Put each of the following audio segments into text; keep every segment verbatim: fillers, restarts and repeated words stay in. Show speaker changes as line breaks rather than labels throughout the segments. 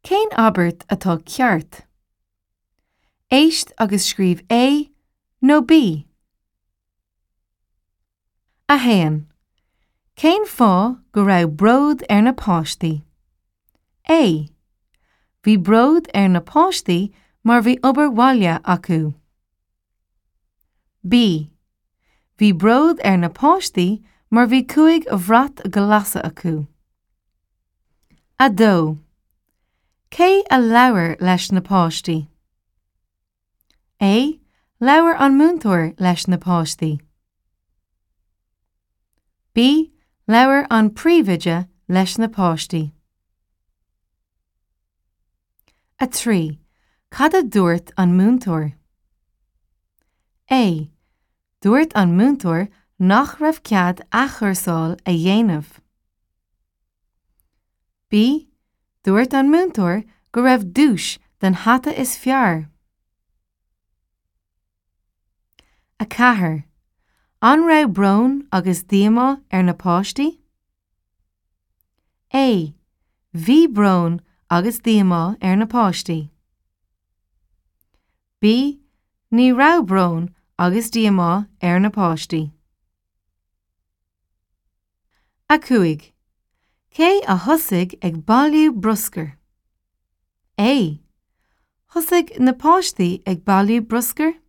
Cén abairt atá ceart? Éist agus scríobh A nó B. A haon. Cén fáth go raibh bród ar na páistí? A. Bhí bród ar na páistí mar bhí obair bhaile acu. B. Bhí bród ar na páistí mar bhí cúig bhrat glasa acu. A dó. Cé a labhair leis na páistí? A. Labhair an múinteoir leis na páistí. B. Labhair an príomhoide leis na páistí. A trí. Cad a dúirt an múinteoir? A. Dúirt an múinteoir nach raibh cead athchúrsáil a dhéanamh. B. Dúirt an múinteoir go raibh duais don hata is fearr. A ceathair. An raibh brón agus díomá ar na páistí? A. Bhí brón agus díomá ar na páistí. B. Ní raibh brón agus díomá ar na páistí. A cúig. Cé a thosaigh ag bailiú bruscair? A. Thosaigh na páistí ag bailiú bruscair?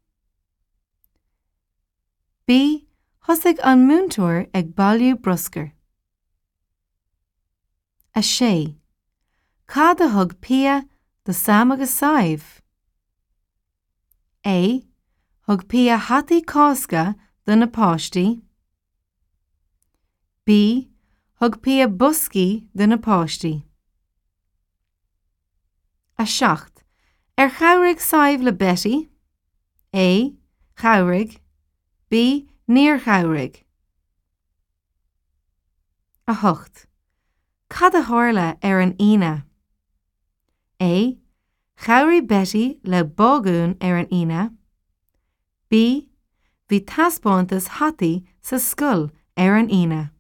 B. Thosaigh an múinteoir ag bailiú bruscair. A sé. Cad a thug Pia do Sam agus Sadhbh? A. Thug Pia hataí Cásca do na páistí. B. Thug Pia boscaí do na páistí. A seacht. Ar chabhraigh Sadhbh le Betty? A. Chabhraigh. B. Níor chabhraigh. A hocht. Cad a tharla ar an Aoine? A. Chabhraigh Betty le bágún ar an Aoine. B. Bhí taispeántas hataí sa scoil ar an Aoine.